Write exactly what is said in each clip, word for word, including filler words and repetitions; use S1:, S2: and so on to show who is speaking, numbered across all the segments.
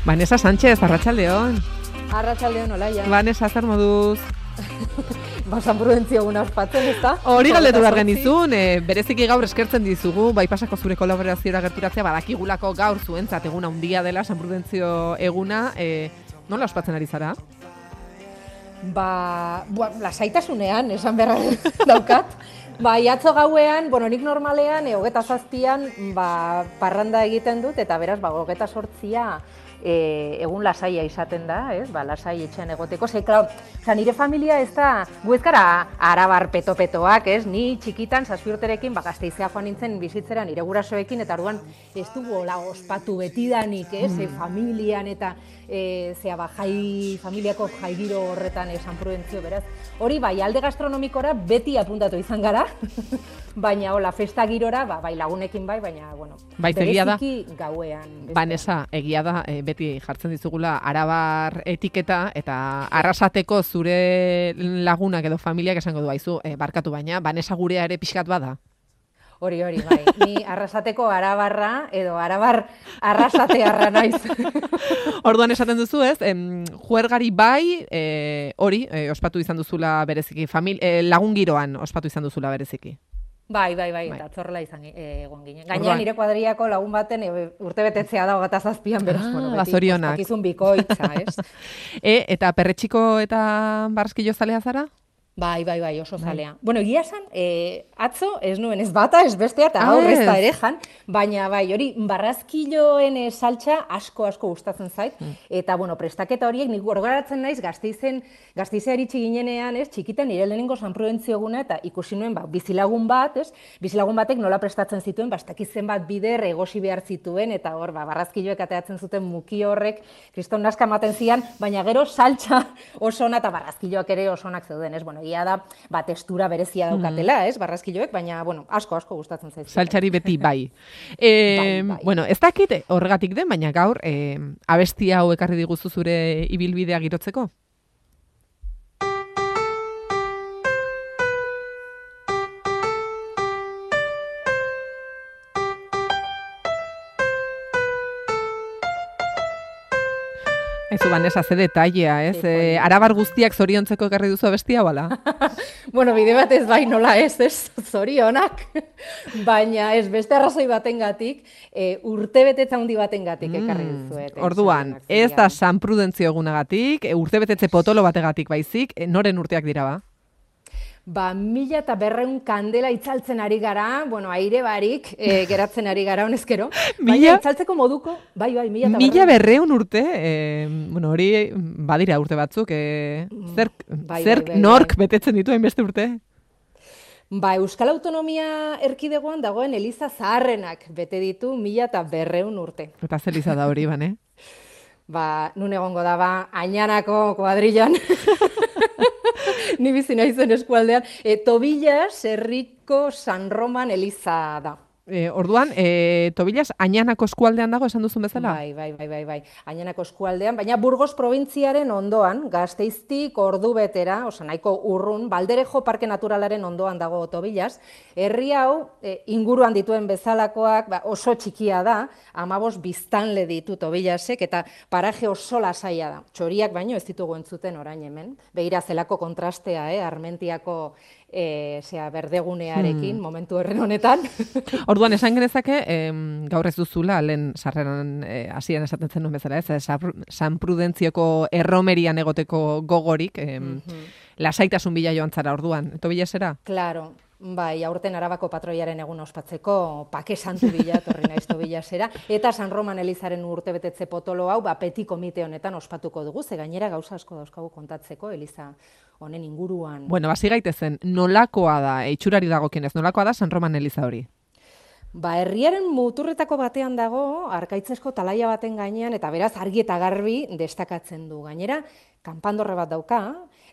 S1: Vanessa Sánchez, arratsaldeon.
S2: Arratsaldeon, Olaia.
S1: Vanessa, zer moduz?
S2: Ba, San Prudentzio eguna ospatzen, ezta?
S1: Hori galdetu behar genizun, e, bereziki gaur eskertzen dizugu, bai pasako zure kolaborazioa gerturatzea, badakigulako gaur zuentzat eguna handia dela San Prudentzio eguna, e, nola ospatzen ari zara?
S2: Ba, bua, lasaitasunean, esan beharra daukat. Ba, atzo gauean, bueno, nik normalean, e, hogeta zazpian, ba, parranda egiten dut, eta beraz, ba, hogeta sortzia, E, egun lasaia izaten da, ez? Ba, lasai etxean egoteko. Ze, klar, nire familia ez da, gu ez gara arabar peto-petoak, ez? Ni txikitan, zazpi urterekin, ba, Gasteizea joan nintzen bizitzera nire gurasoekin, eta orduan ez dugu hola ospatu betidanik, ez? Mm. E, familian eta e, zea, ba, jai, familiako jaigiro horretan e, San Prudentzio, beraz. Hori, bai, alde gastronomikora beti apuntatu izan gara, baina, hola, festa girora, ba, bai, lagunekin bai, baina, bueno,
S1: bai,
S2: bereziki gauean.
S1: Vanessa, egia da, e, beti jartzen dizugula arabar etiketa eta arrasateko zure lagunak edo familiak esango du aizu, e, barkatu baina, Vanessa gurea ere pixkat bada.
S2: Hori, hori, bai. Ni arrasateko arabarra edo arabar arrasatearra naiz.
S1: Orduan esaten duzu, ez? Em, juergari bai, e, hori, e, ospatu izan duzula bereziki, famili, e, lagun giroan ospatu izan duzula bereziki.
S2: Bai, bai, bai, eta atzorrela izan egon ginen. Gainera nire kuadriako lagun baten e, urte betetzea da hogeta zazpian, beraz,
S1: ah,
S2: bueno, beti
S1: bazorionak.
S2: Ospakizun bikoitza, ez?
S1: e, eta perretxiko eta barrazkilo zalea zara?
S2: Bai, bai, bai, oso zalea. Bai. Bueno, egia esan, e, atzo ez nuen ez bata, ez bestea, eta gaur ez da ere jan, baina bai, hori, barrazkiloen e, saltxa asko, asko gustatzen zait, mm. eta, bueno, prestaketa horiek, nik gorgaratzen naiz, Gasteizen, Gasteizea iritsi ginenean, ez, txikitan, nire lehenengo San Prudentzio eguna, eta ikusi nuen, ba, bizilagun bat, ez, bizilagun batek nola prestatzen zituen, bastakizen bat bider egosi behar zituen, eta hor, ba, barrazkiloek ateatzen zuten muki horrek, kriston naska ematen zian, baina gero saltxa oso ona eta barrazkiloak ere oso onak zeuden, ez, bueno, egia da, ba, testura berezia daukatela, ez, barrazkiloek, baina, bueno, asko, asko gustatzen zaizu.
S1: Saltxari beti bai. e, bai, bai. Bueno, ez dakit horregatik den, baina gaur, e, abestia hau ekarri diguzu zure ibilbidea girotzeko? Ezu, Vanessa, ze detailea, ez? Sí, e, arabar guztiak zoriontzeko ekarri duzu abestia, bala?
S2: Bueno, bide batez bai nola ez, ez, zorionak. Baina ez, beste arrazoi batengatik, e, urte betetza handi batengatik ekarri duzuet. Mm,
S1: orduan, ez da San Prudentzio egunagatik, e, urte betetze potolo bategatik baizik, e, noren urteak dira ba?
S2: Ba, mila eta berreun kandela itzaltzen ari gara, bueno, aire barik e, geratzen ari gara honezkero. Baina itzaltzeko moduko, bai, bai, mila eta berreun. Mila
S1: berreun urte, e, bueno, hori badira urte batzuk, e, zerk, bai, zerk bai, bai, nork bai. Betetzen dituen beste urte?
S2: Ba, Euskal Autonomia erkidegoan dagoen Eliza Zaharrenak bete ditu mila eta berreun urte.
S1: Eta zer Eliza da hori, bane?
S2: Ba, nun egongo da, ba, Añanako kuadrillan. Ni bizi naizen eskualdean, e, Tobillas herriko San Roman Eliza da.
S1: E, orduan, e, Tobillas Añanako eskualdean dago esan duzun bezala?
S2: Bai, bai, bai, bai, bai. Añanako eskualdean, baina Burgos probintziaren ondoan, Gasteiztik ordu betera, osa nahiko urrun, Balderejo Parke Naturalaren ondoan dago Tobillas. Herri hau, e, inguruan dituen bezalakoak, ba, oso txikia da, amabos biztanle ditu Tobillasek, eta paraje oso lasaia da. Txoriak baino ez ditugu entzuten orain hemen. Begira zelako kontrastea, eh, Armentiako E, zera, berdegunearekin, hmm. momentu horren honetan.
S1: Orduan, esan genezake, em, gaur ez duzula, lehen sarreran hasieran e, esaten zen nuen bezala, ez, San Prudentzioko erromerian egoteko gogorik, em, mm-hmm. lasaitasun bila joan zara orduan, eto bila zera?
S2: Claro. Bai, aurten Arabako patroiaren egun ospatzeko pake santu bila, torri naiz Tobillasera, eta San Roman Elizaren urtebetetze potolo hau, ba, peti komite honetan ospatuko dugu, ze gainera gauza asko dauzkagu kontatzeko Eliza honen inguruan.
S1: Bueno, basi gaitezen, nolakoa da, itxurari dagokienez, nolakoa da San Roman Eliza hori?
S2: Ba, herriaren muturretako batean dago, arkaitzesko talaia baten gainean, eta beraz argi eta garbi destakatzen du. Gainera, kanpandorre bat dauka,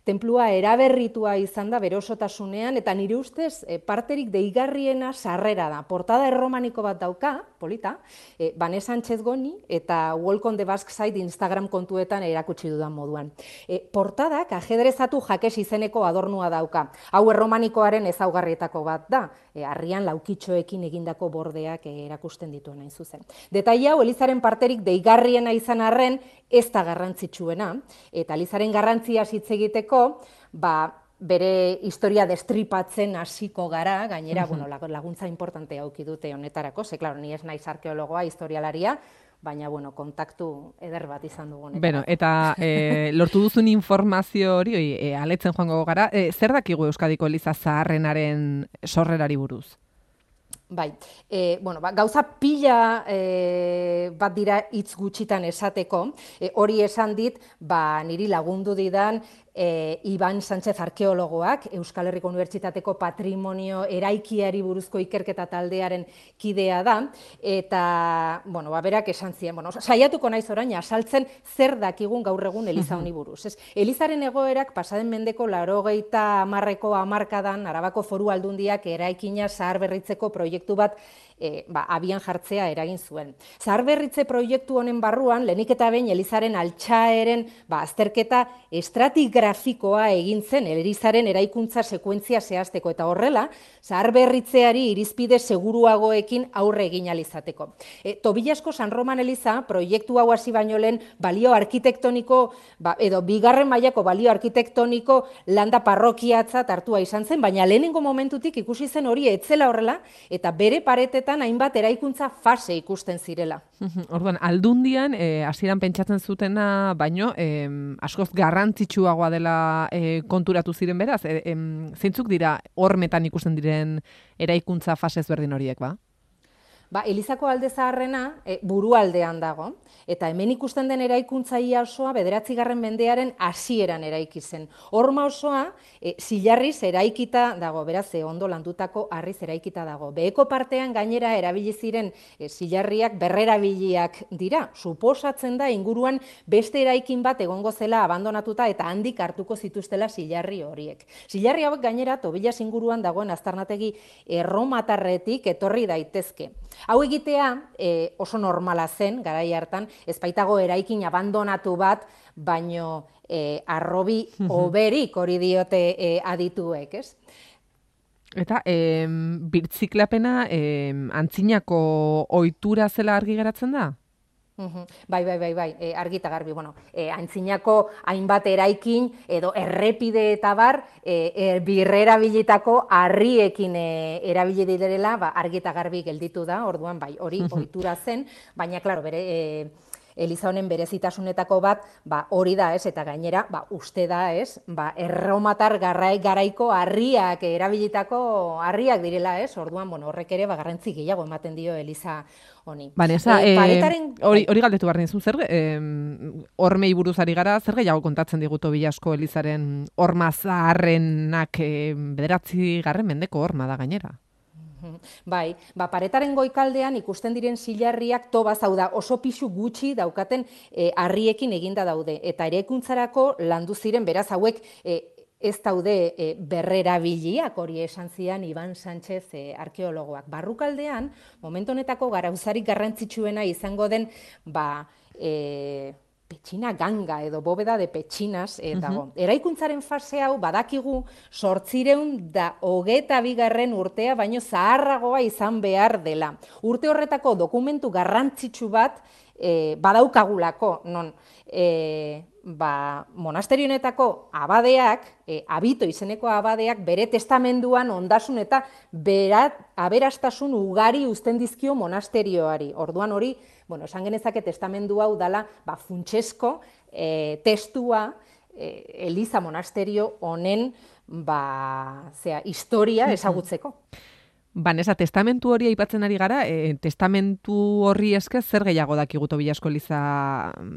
S2: Tenplua eraberritua izan da bere osotasunean, eta nire ustez e, parterik deigarriena sarrera da. Portada erromaniko bat dauka, polita, e, Bane Sánchez Goni eta Walk on the Basque Side Instagram kontuetan erakutsi dudan moduan. E, portadak ajedrezatu jakes izeneko adornua dauka. Hau erromanikoaren ezaugarrietako bat da, e, harrian laukitxoekin egindako bordeak e, erakusten dituen hain zuzen. Detaile hau Elizaren parterik deigarriena izan arren, ez da garrantzitsuena, eta Elizaren garrantzia hitz egiteko, ba, bere historia destripatzen hasiko gara, gainera, bueno, laguntza importante auki dute honetarako, ze, klaro, ni ez naiz arkeologoa, historialaria, baina, bueno, kontaktu eder bat izan dugu honetarako.
S1: Bueno, eta e, lortu duzun informazio hori, e, aletzen joango gara, e, zer dakigu Euskadiko Eliza Zaharrenaren sorrerari buruz?
S2: Bai, e, bueno, ba, gauza pila e, bat dira hitz gutxitan esateko, e, hori esan dit, ba, niri lagundu didan e, Iban Sánchez arkeologoak, Euskal Herriko Unibertsitateko patrimonio eraikiari buruzko ikerketa taldearen kidea da, eta, bueno, ba, berak esan zien, bueno, saiatuko naiz orain asaltzen zer dakigun gaur egun Eliza honi buruz. Ez? Elizaren egoerak pasaden mendeko laurogeita hamarreko hamarkadan Arabako Foru Aldundiak eraikina zaharberritzeko proiektu bat E, ba, abian jartzea eragin zuen. Zaharberritze proiektu honen barruan, lehenik eta behin Elizaren altxaeren ba, azterketa estratigrafikoa egin zen Elizaren eraikuntza sekuentzia zehazteko, eta horrela, zaharberritzeari irizpide seguruagoekin aurre egin alizateko. E, Tobillasko San Roman Eliza proiektu hau hasi baino lehen balio arkitektoniko, ba, edo bigarren mailako balio arkitektoniko landa parrokiatzat hartua izan zen, baina lehenengo momentutik ikusi zen hori etzela horrela, eta bere paretetan hainbat eraikuntza fase ikusten zirela.
S1: Orduan, aldundian, hasieran e, pentsatzen zutena, baino, e, askoz garrantzitsuagoa dela e, konturatu ziren beraz, e, e, zeintzuk dira hormetan ikusten diren eraikuntza fase ezberdin horiek, ba?
S2: Ba, Elizako alde zaharrena e, burualdean dago, eta hemen ikusten den eraikuntza ia osoa bederatzigarren mendearen hasieran eraiki zen. Horma osoa e, zilarriz eraikita dago, beraz, e, ondo landutako harriz eraikita dago. Beheko partean gainera erabili ziren e, zilarriak berrerabiliak dira. Suposatzen da inguruan beste eraikin bat egongo zela abandonatuta eta handik hartuko zituztela zilarri horiek. Zilarri hauek gainera Tobillas inguruan dagoen aztarnategi erromatarretik etorri daitezke. Hau egitea e, oso normala zen, garai hartan, ez baitago eraikin abandonatu bat, baino e, arrobi oberik hori diote e, adituek, ez?
S1: Eta e, birtziklapena e, antzinako ohitura zela argi geratzen da?
S2: Bai, bai, bai, bai, e, argi eta garbi, bueno, e, antzinako hainbat eraikin edo errepide eta bar, e, e, birrerabilitako harriekin e, erabili direla, ba, argi eta garbi gelditu da, orduan, bai, hori ohitura zen, baina, klaro, bere... E, Eliza honen berezitasunetako bat, ba, hori da, ez, eta gainera, ba, uste da, ez, ba, erromatar garrai, garaiko harriak, erabilitako harriak direla, ez, orduan, bueno, horrek ere, ba, garrantzi gehiago ematen dio Eliza honi.
S1: Vanessa, e, paretaren... hori, hori galdetu behar nizu, zer, hormei buruz ari gara, zer gehiago kontatzen digu Tobillasko Elizaren horma zaharrenak e, bederatzi garren mendeko horma da gainera?
S2: Bai, ba, paretaren goikaldean ikusten diren zilarriak tobaz, hau da, oso pisu gutxi daukaten e, harriekin eginda daude. Eta eraikuntzarako landu ziren, beraz, hauek e, ez daude e, berrerabiliak, hori esan zian Iban Sánchez e, arkeologoak. Barrukaldean, momentu honetako garauzarik garrantzitsuena izango den, ba, e, petxina ganga edo bóveda de petxinas e, dago. Uh-huh. Eraikuntzaren fase hau badakigu zortzireun da hogeta bigarren urtea, baino zaharragoa izan behar dela. Urte horretako dokumentu garrantzitsu bat e, badaukagulako, non e, ba, monasterionetako abadeak, e, abito izeneko abadeak, bere testamenduan ondasun eta berat, aberastasun ugari uzten dizkio monasterioari. Orduan hori, bueno, esan genezake testamendu hau dala, ba, funtsesko e, testua e, Eliza monasterio honen, ba, zera, historia ezagutzeko.
S1: Vanessa, testamentu hori aipatzen ari gara, e, testamentu horri esker zer gehiago dakigu Tobillasko Eliza,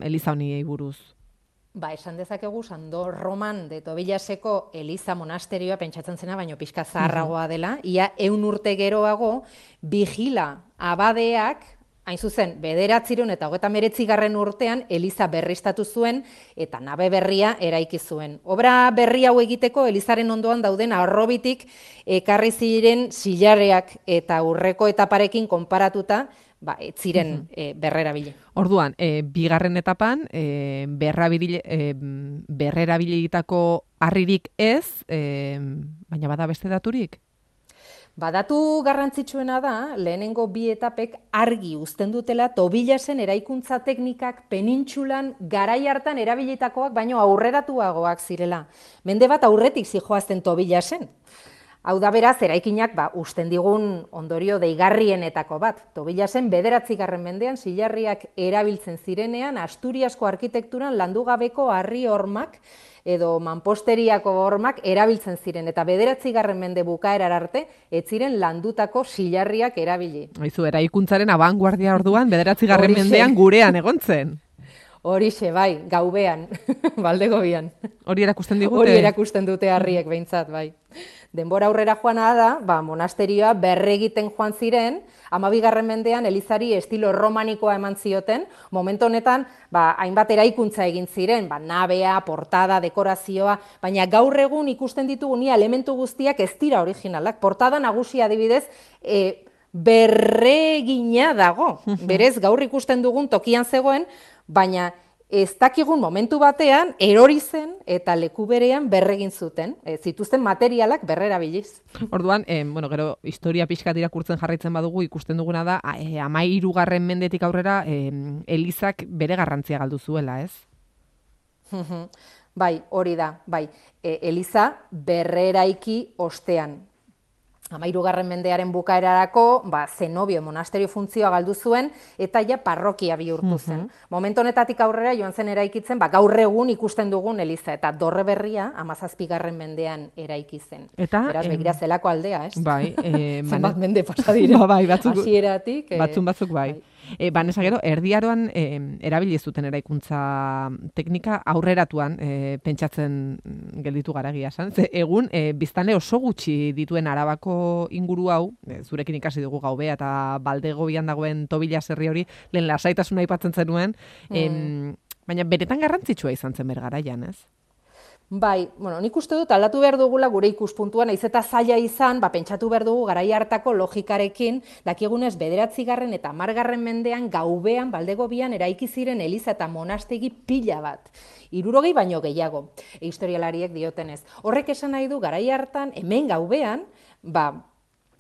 S1: Eliza honi buruz?
S2: Ba, esan dezakegu Sando Roman de Tobillaseko Eliza monasterioa pentsatzen zena, baino pixka zaharragoa dela, ia ehun urte geroago, vigila abadeak hain zuzen, bederatziehun eta hogeita hemeretzigarren urtean Eliza berriztatu zuen eta nabe berria eraiki zuen. Obra berri hau egiteko Elizaren ondoan dauden harrobitik ekarri ziren silarreak eta aurreko etaparekin konparatuta, ba, ez ziren e, berrerabili.
S1: Orduan, e, bigarren etapan, e, berrabili, e, berrerabilitako harririk ez, e, baina bada beste daturik?
S2: Badatu garrantzitsuena da, lehenengo bi etapek argi uzten dutela Tobilasen eraikuntza teknikak penintsulan garai hartan erabilitakoak baino aurreratuagoak zirela. Mende bat aurretik zijoazten Tobilasen. Hau da beraz, eraikinak ba, usten digun ondorio deigarrienetako bat. Tobilasen bederatzigarren mendean silarriak erabiltzen zirenean Asturiasko arkitekturan landugabeko harri hormak edo manposteriako hormak erabiltzen ziren, eta bederatzigarren mende bukaerar arte, ez ziren landutako silarriak erabili.
S1: Haizu, eraikuntzaren abanguardia orduan, bederatzigarren mendean gurean egon zen.
S2: Horixe, bai, gaubean, Baldegobian.
S1: Hori erakusten digute?
S2: Hori erakusten dute harriek behintzat, bai. Denbora aurrera joana da, ba, monasterioa berregiten joan ziren, hamabigarren mendean Elizari estilo romanikoa eman zioten, momentu honetan, ba, hainbat eraikuntza egin ziren, ba, nabea, portada, dekorazioa, baina gaur egun ikusten ditugu ni elementu guztiak ez dira originalak. Portada nagusia adibidez, e, berregina dago, berez gaur ikusten dugun tokian zegoen, baina ez dakigun momentu batean erori zen eta leku berean berregin zuten, e, zituzten materialak berrerabiliz.
S1: Orduan, eh, bueno, gero historia pixkat irakurtzen jarraitzen badugu, ikusten duguna da, eh, hamahirugarren mendetik aurrera eh, Elizak bere garrantzia galdu zuela, ez?
S2: Bai, hori da, bai. E, Eliza berreraiki ostean. Hamahirugarren mendearen bukaerarako, ba, zenobio monasterio funtzioa galdu zuen, eta ja parrokia bihurtu zen. Momentu honetatik aurrera joan zen eraikitzen, ba, gaur egun ikusten dugun Eliza, eta dorre berria hamazazpigarren mendean eraiki zen.
S1: Eta,
S2: beraz, begira zelako aldea, ez?
S1: Bai, eh,
S2: zenbat mende pasa dira.
S1: Ba, bai, batzuk,
S2: hasieratik. Eh,
S1: batzun batzuk bai. bai. E, Banesa gero, erdiaroan e, erabili zuten eraikuntza teknika aurreratuan e, pentsatzen gelditu gara egia esan. Ze egun, e, biztanle oso gutxi dituen Arabako inguru hau, e, zurekin ikasi dugu Gaubea eta Baldegobian dagoen Tobilas herri hori, lehen lasaitasuna aipatzen zenuen, mm. em, baina beretan garrantzitsua izan zen bergaraian, ez?
S2: Bai, bueno, nik uste dut aldatu behar dugula gure ikuspuntuan, naiz eta zaila izan, ba, pentsatu behar dugu garai hartako logikarekin, dakigunez bederatzigarren eta hamargarren mendean Gaubean, Baldegobian eraiki ziren eliza eta monastegi pila bat. Hirurogei baino gehiago, e, historialariek diotenez. Horrek esan nahi du garai hartan, hemen Gaubean, ba,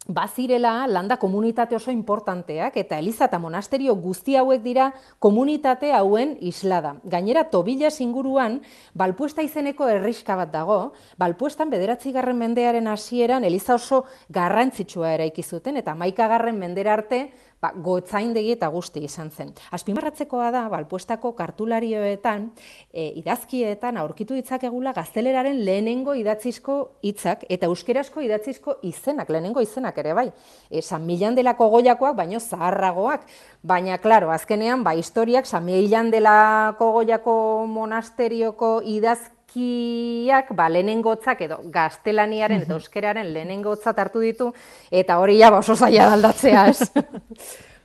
S2: bazirela landa komunitate oso importanteak, eta eliza eta monasterio guzti hauek dira komunitate hauen islada. Gainera, Tobilas inguruan, Balpuesta izeneko herriska bat dago, Balpuestan bederatzigarren mendearen hasieran eliza oso garrantzitsua eraiki zuten, eta hamaikagarren mendera arte, ba, gotzaindegi eta guzti izan zen. Azpimarratzekoa da, Balpuestako kartularioetan, e, idazkietan aurkitu ditzakegula gazteleraren lehenengo idatzizko hitzak eta euskerazko idatzizko izenak, lehenengo izenak ere bai. E, San Millán delako Goyakoak, baino zaharragoak. Baina, klaro, azkenean, ba, historiak San Millán delako Goyako monasterioko idazkiak, ba, lehenengotzak edo gaztelaniaren eta euskeraren lehenengotzat hartu ditu, eta hori ja, ba, oso zaila aldatzea, ez?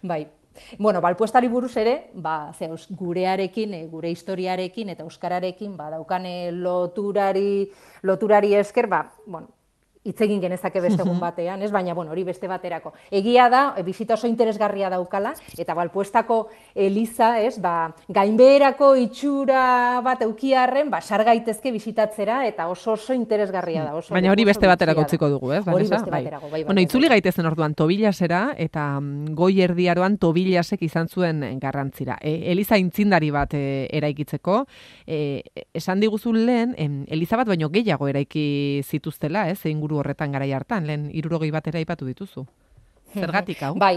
S2: Bai. Bueno, Balpuestari buruz ere, ba, ze, gurearekin, e, gure historiarekin eta euskararekin, ba, daukane loturari, loturari esker, ba, bueno, hitz egin genezake beste egun batean, ez? Baina, bueno, hori beste baterako. Egia da, e, bizita oso interesgarria daukala, eta Balpuestako eliza, ez, ba, gainbeherako itxura bat eukiarren, ba, sar gaitezke bisitatzera, eta oso oso interesgarria da. Oso,
S1: baina hori
S2: oso
S1: beste baterako utziko dugu, ez?
S2: Hori beste baterako, bai, bai.
S1: Bueno, itzuli gaitezen orduan Tobilasera, eta goi erdiaroan Tobilasek izan zuen garrantzira. E, eliza intzindari bat e, eraikitzeko, e, esan diguzun lehen, em, eliza bat baino gehiago eraiki zituztela, ez? Inguru horretan garai hartan, lehen hirurogei batera aipatu dituzu. Zergatik hau?
S2: Bai,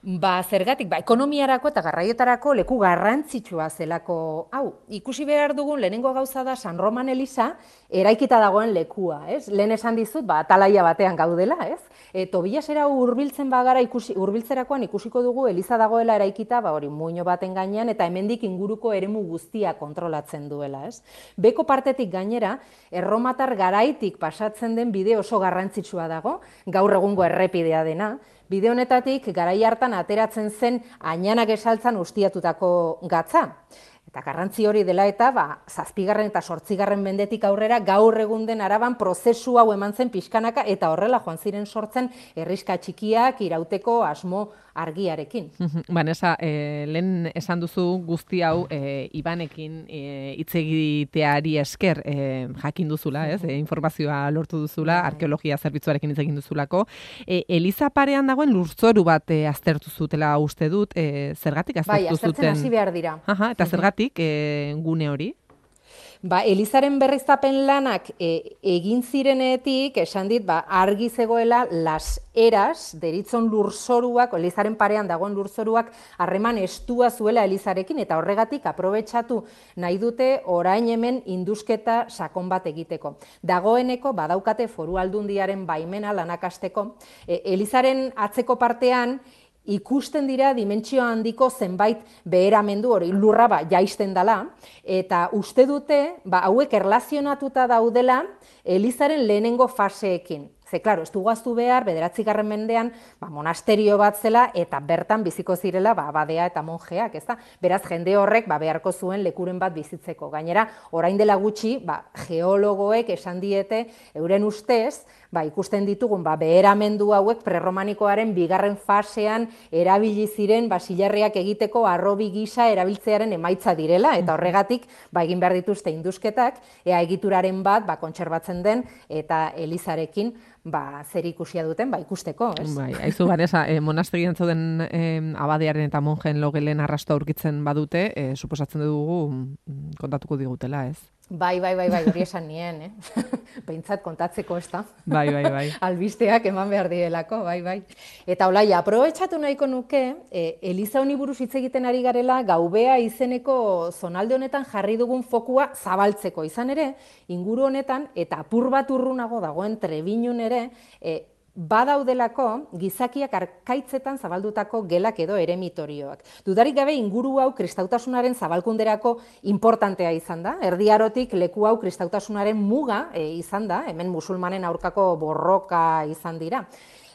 S2: ba, zergatik, ba, ekonomiarako eta garraioetarako leku garrantzitsua zelako hau. Ikusi behar dugun lehenengo gauza da San Roman eliza eraikita dagoen lekua, ez? Lehen esan dizut, ba, atalaia batean gaudela, ez? E, Tobilasera hurbiltzen bagara ikusi, hurbiltzerakoan ikusiko dugu eliza dagoela eraikita, ba, hori muino baten gainean, eta hemendik inguruko eremu guztia kontrolatzen duela, ez? Beko partetik gainera, erromatar garaitik pasatzen den bide oso garrantzitsua dago, gaur egungo errepidea dena, Bide honetatik garai hartan ateratzen zen ainanak esaltzan ustiatutako gatza. Eta garrantzi hori dela eta, ba, zazpigarren eta sortzigarren mendetik aurrera gaur egun den Araban prozesu hau eman zen pixkanaka eta horrela joan ziren sortzen herrixka txikiak irauteko asmo argiarekin.
S1: Vanessa, eh, lehen esan duzu guzti hau eh, Ibanekin eh, hitz egiteari esker eh, jakin duzula, ez? Eh, informazioa lortu duzula, arkeologia zerbitzuarekin hitz egin duzulako. Eh, Eliza parean dagoen lurzoru bat eh, aztertu zutela uste dut, eh, zergatik aztertu
S2: bai,
S1: zuten?
S2: Bai, aztertzen hasi behar dira.
S1: Aha, eta zergatik eh, gune hori?
S2: Ba, Elizaren berriztapen lanak e, egin zirenetik, esan dit, ba, argi zegoela las eras, deritzon lurzoruak, Elizaren parean dagoen lurzoruak, harreman estua zuela Elizarekin, eta horregatik aprobetxatu nahi dute orain hemen indusketa sakon bat egiteko. Dagoeneko, badaukate foru aldundiaren baimena lanakasteko, e, Elizaren atzeko partean, ikusten dira dimentsio handiko zenbait beheramendu hori lurra ba, jaisten dela, eta uste dute ba, hauek erlazionatuta daudela Elizaren lehenengo faseekin. Ze, klaro, ez dugu behar, bederatzigarren mendean, ba, monasterio bat zela, eta bertan biziko zirela, ba, badea eta monjeak, ez da? Beraz, jende horrek, ba, beharko zuen lekuren bat bizitzeko. Gainera, orain dela gutxi, ba, geologoek esan diete, euren ustez, ba, ikusten ditugun, ba, beheramendu hauek prerromanikoaren bigarren fasean erabili ziren, ba, silarriak egiteko arrobi gisa erabiltzearen emaitza direla, eta horregatik, ba, egin behar dituzte indusketak, ea egituraren bat, ba, kontserbatzen den, eta Elizarekin, ba, zer ikusia duten, ba, ikusteko, ez?
S1: Bai, aizu, Vanessa, eh, monastegian zauden eh, abadearen eta monjen logelen arrasto aurkitzen badute, eh, suposatzen dugu mm, kontatuko digutela, ez?
S2: Bai, bai, bai, bai, hori esan nien, eh? Behintzat kontatzeko, ez da?
S1: Bai, bai, bai.
S2: Albisteak eman behar direlako, bai, bai. Eta olaia, aprobetxatu nahiko nuke, eh, Eliza honi buruz hitz egiten ari garela, Gaubea izeneko zonalde honetan jarri dugun fokua zabaltzeko. Izan ere, inguru honetan, eta apur bat urrunago dagoen Trebiñun ere, eh, badaudelako gizakiak arkaitzetan zabaldutako gelak edo eremitorioak. Dudarik gabe inguru hau kristautasunaren zabalkunderako importantea izan da. Erdi Arotik leku hau kristautasunaren muga e, izan da, hemen musulmanen aurkako borroka izan dira.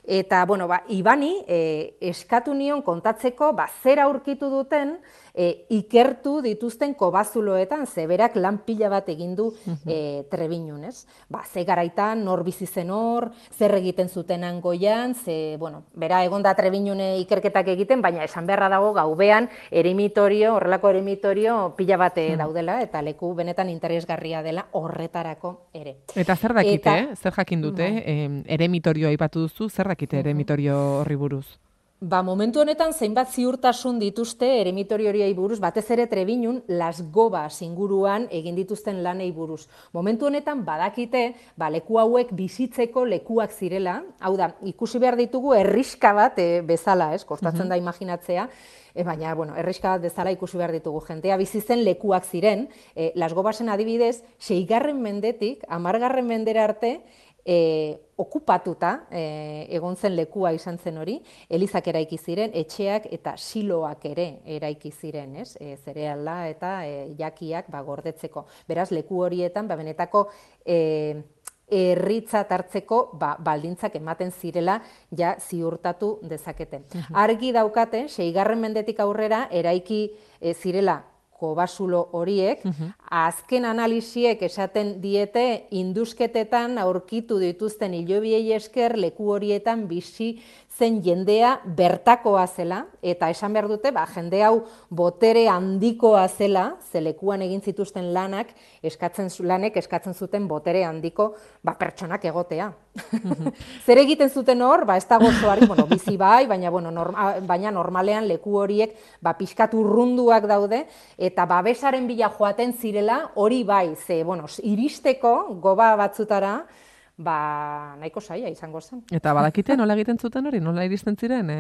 S2: Eta, bueno, ba, Ibani e, eskatu nion kontatzeko, ba, zer aurkitu duten e, ikertu dituzten kobazuloetan, zeberak lan pila bat egin du e, Trebiñun, ez? Ba, ze garaitan, nor bizi zen hor, zer egiten zuten angoian, ze, bueno, bera egon da Trebiñune ikerketak egiten, baina esan beharra dago Gaubean eremitorio, horrelako eremitorio pila bat daudela, eta leku benetan interesgarria dela horretarako ere.
S1: Eta zer dakite, eta, zer jakin dute, eh, eremitorioa aipatu duzu, zer dakite eremitorio horri buruz?
S2: Ba, momentu honetan zeinbat ziurtasun dituzte eremitorio horiei buruz, batez ere Trebiñun Las Gobas inguruan egin dituzten lanei buruz. Momentu honetan badakite, ba, leku hauek bizitzeko lekuak zirela, hau da, ikusi behar ditugu herrixka bat e, bezala, ez, kostatzen da imaginatzea, e, baina, bueno, herrixka bat bezala ikusi behar ditugu. Jentea bizitzen lekuak ziren, e, Las Gobasen adibidez, seigarren mendetik, hamargarren mendera arte, E, okupatuta e, egon zen lekua izan zen hori, elizak eraiki ziren, etxeak eta siloak ere eraiki ziren, ez? E, zereala eta e, jakiak ba, gordetzeko. Beraz, leku horietan, ba, benetako e, herritzat hartzeko ba, baldintzak ematen zirela ja ziurtatu dezaketen. Argi daukate, seigarren mendetik aurrera, eraiki e, zirela kobasulo horiek, azken analisiek esaten diete indusketetan aurkitu dituzten hilobiei esker leku horietan bizi zen jendea bertakoa zela, eta esan behar dute, ba, jende hau botere handikoa zela, ze lekuan egin zituzten lanak, eskatzen, lanek eskatzen zuten botere handiko ba, pertsonak egotea. Zer egiten zuten hor, ba, ez dago osoari, bueno, bizi bai, baina, bueno, norma, baina normalean leku horiek ba, pixkat urrunduak daude, eta babesaren bila joaten zirela, hori bai, ze, bueno, iristeko goba batzutara, ba, nahiko saia izango zen.
S1: Eta badakite nola egiten zuten hori, nola iristen ziren? E...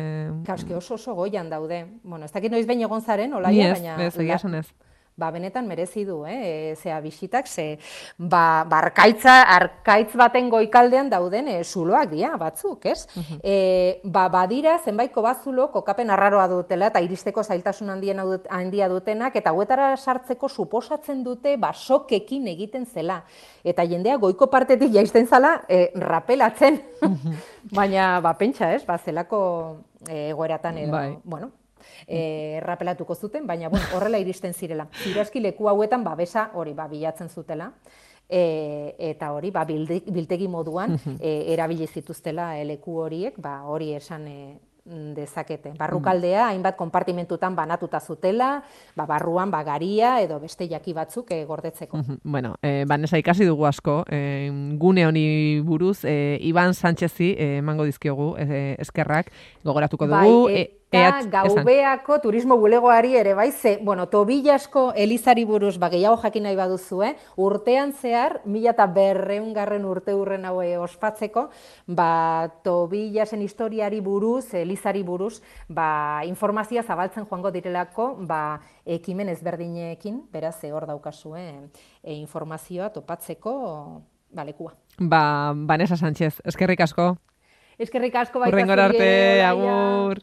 S2: Kauske oso oso goian daude. Bueno, ez dakit noiz behin egon zaren, olaia,
S1: baina...
S2: Ez,
S1: egia esan ez.
S2: ba, benetan merezi du, eh, zea bisitak, ze, ba, ba arkaitza, arkaitz baten goikaldean dauden e, zuloak dira, batzuk, ez? Uh-huh. E, ba, badira, zenbait kobazulo, kokapen arraroa dutela, eta iristeko zailtasun handien dut, handia dutenak, eta hauetara sartzeko suposatzen dute, ba, sokekin egiten zela. Eta jendea goiko partetik jaisten zala, e, rapelatzen. Uh-huh. Baina, ba, pentsa, ez? Ba, zelako egoeratan edo, bai. Bueno, E, rapelatuko zuten, baina bueno, horrela iristen zirela. Zirazki leku hauetan babesa hori ba, bilatzen zutela, e, eta hori ba, biltegi moduan e, erabili zituztela e, leku horiek, ba, hori esan e, dezakete. Barrukaldea hainbat konpartimentutan banatuta zutela, ba, barruan ba, garia edo beste jaki batzuk e, gordetzeko.
S1: Bueno, e, Vanessa, ikasi dugu asko, e, gune honi buruz, e, Iban Sánchezi e, emango dizkiogu e, eskerrak, gogoratuko dugu.
S2: Bai, e, Eta Gaubeako turismo bulegoari ere bai, ze, bueno, Tobillasko elizari buruz, ba, gehiago jakin nahi baduzue, urtean zehar, mila eta berreungarren urte hurren haue ospatzeko, ba, Tobillasen historiari buruz, elizari buruz, ba, informazioa zabaltzen joango direlako, ba, ekimen ezberdinekin, beraz, hor daukazue, e, informazioa topatzeko, ba, lekua.
S1: Ba, Vanessa Sánchez, eskerrik asko.
S2: Eskerrik asko baita
S1: zure. Hurrengora arte, agur.